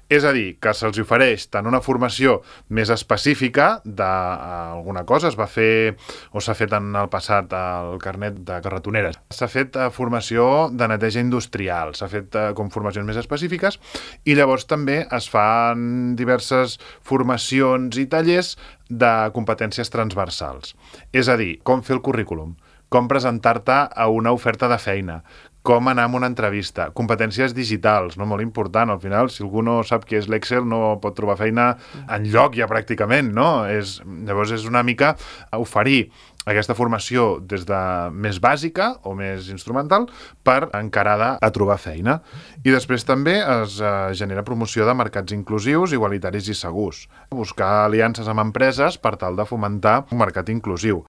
És a dir, que se'ls ofereix tant una formació més específica d'alguna cosa, es va fer o s'ha fet en el passat el carnet de carretoneres. S'ha fet formació de neteja industrial, s'ha fet com formacions més específiques i llavors també es fan diverses formacions i tallers de competències transversals. És a dir, com fer el currículum, com presentar-te a una oferta de feina, com anar a una entrevista, competències digitals, no? Molt important. Al final, si algú no sap què és l'Excel, no pot trobar feina enlloc ja pràcticament, no? Llavors és una mica oferir aquesta formació des de més bàsica o més instrumental per encarada a trobar feina. I després també es genera promoció de mercats inclusius, igualitaris i segurs. Buscar aliances amb empreses per tal de fomentar un mercat inclusiu.